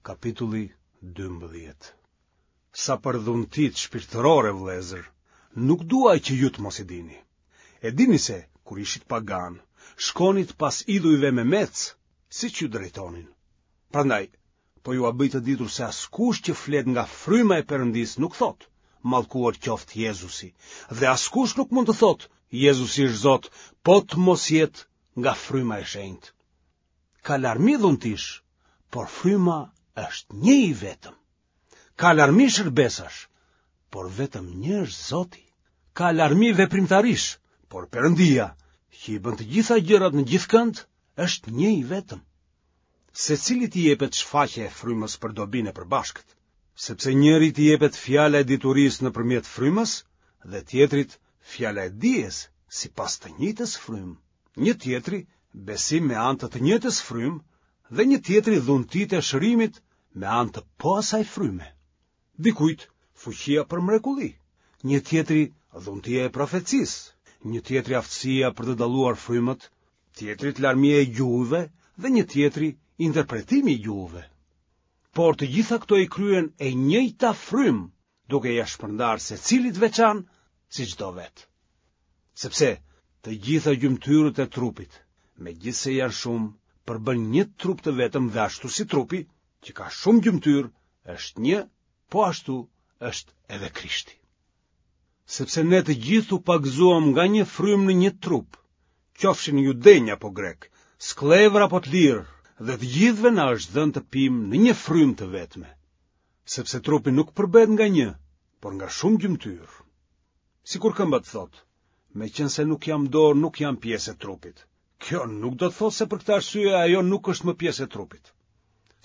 Kapitulli 12 Sa për dhuntitë shpirtërore, vëllezër, nuk dua që ju të mos i dini. E dini se, kur ishit paganë, shkonit pas idhujve memecë, siç ju drejtonin. Prandaj, po jua bëj të ditur se askush që flet nga fryma e Perëndisë nuk thotë, mallkuar qoftë Jezusi, dhe askush nuk mund të thotë, Jezusi është Zot, po të mos jetë nga fryma e shenjtë. Ka larmi dhuntish, por fryma është një i vetëm. Ka larmi shërbesash, por vetëm një është Zoti. Ka larmi veprimtarish, por Perëndia, që i bën të gjitha gjërat në gjithkënd, është një i vetëm. Secilit i jepet shfaqja e frymës për dobinë e përbashkët, sepse njërit i jepet fjala e diturisë nëpërmjet frymës dhe tjetrit fjala e dijes sipas të njëjtës frymë, një tjetri besim me anë të të njëjtës frymë dhe një tjetri dhuntitë e shërimit me anë të po asaj fryme. Dikujt fuqia për mrekulli, një tjetri dhuntia e profecisë, një tjetri aftësia për të dalluar frymët, tjetrit larmia e gjuhëve dhe një tjetri interpretimi i gjuhëve. Por të gjitha këto i kryen e njëjta frymë, duke ia shpërndarë secilit veçan siç do vetë. Sepse të gjitha gjymtyrët e trupit, megjithëse janë shumë, përbëjnë një trup të vetëm dhe ashtu si trupi, që ka shumë gjymtyrë, është një, po ashtu është edhe Krishti. Sepse ne të gjithë u pagëzuam nga një frymë në një trup, qofshin judenj apo grekë, skllevër apo të lirë, dhe të gjithëve na është dhënë të pimë në një frymë të vetme. Sepse trupi nuk përbëhet nga një, por nga shumë gjymtyrë. Sikur këmba të thotë, meqenëse nuk jam dorë, nuk jam pjesë e trupit. Kjo nuk do të thotë se për këtë arsye ajo nuk është më pjesë e trupit.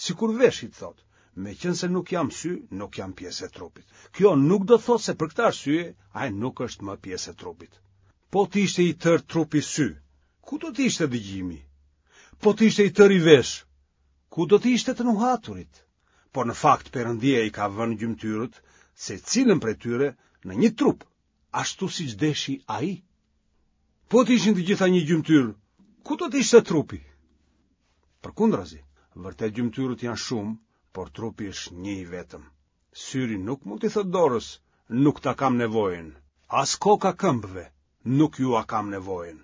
Sikur veshi të thotë, meqenëse nuk jam sy, nuk jam pjesë e trupit. Kjo nuk do të thotë se për këtë arsye ai nuk është më pjesë e trupit. Po të ishte i tërë trupi sy, ku do të ishte dëgjimi? Po të ishte i tëri vesh, ku do të ishte të nuhaturit? Por në fakt Perëndia i ka vënë gjymtyrët, secilën prej tyre, në një trup, ashtu siç deshi ai. Po të ishin të gjitha një gjymtyrë, ku do të ishte trupi? Përkundrazi, vërtet gjymtyrët janë shumë, por trupi është një i vetëm. Syri nuk mund t'i thotë dorës, nuk ta kam nevojën, as koka këmbëve, nuk jua kam nevojën.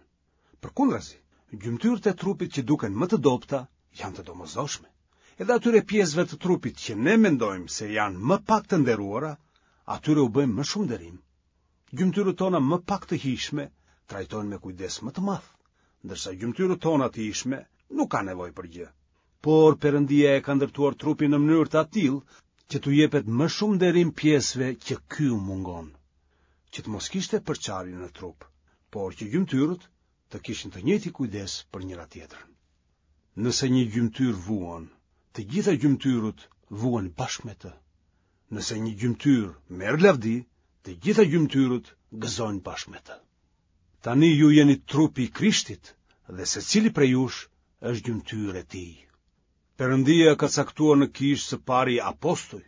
Përkundrazi, gjymtyrët e trupit që duken më të dobëta janë të domosdoshme. Edhe atyre pjesëve të trupit që ne mendojmë se janë më pak të nderuara, atyre u bëjmë më shumë nderim. Gjymtyrët tona më pak të hijshme trajtohen me kujdes më të madh, ndërsa gjymtyrët tona të hijshme nuk kanë nevojë për gjë. Por Perëndia e ka ndërtuar trupin në mënyrë të atillë që t'u jepet më shumë nderim pjesëve që ky u mungon. Që të mos kishte përçarje në trup, por që gjymtyrët të kishin të njëjtin kujdes për njëra-tjetrën. Nëse një gjymtyrë vuan, të gjitha gjymtyrët vuajnë bashkë me të. Nëse një gjymtyrë merr lavdi, të gjitha gjymtyrët gëzojnë bashkë me të. Tani ju jeni trupi i Krishtit dhe secili prej jush është gjymtyrë e tij. Perëndia ka caktuar në kishë së pari apostuj,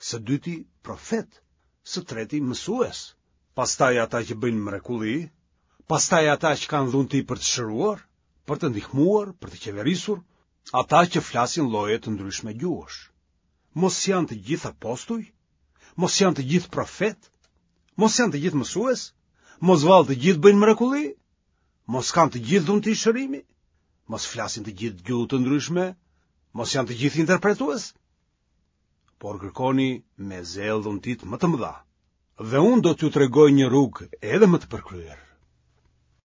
së dyti profetë, së treti mësues, pastaj ata që bëjnë mrekulli, pastaj ata që kanë dhunti për të shëruar, për të ndihmuar, për të qeverisur, ata që flasin lloje të ndryshme gjuhësh. Mos janë të gjithë apostuj? Mos janë të gjithë profetë? Mos janë të gjithë mësues? Mos vallë të gjithë bëjnë mrekulli? Mos kanë të gjithë dhunti shërimi? Mos flasin të gjithë gjuhë të ndryshme? Mos janë të gjithë interpretues? Por kërkoni me zell dhuntitë më të mëdha. Dhe unë do t'ju tregoj një rrugë edhe më të përkryer.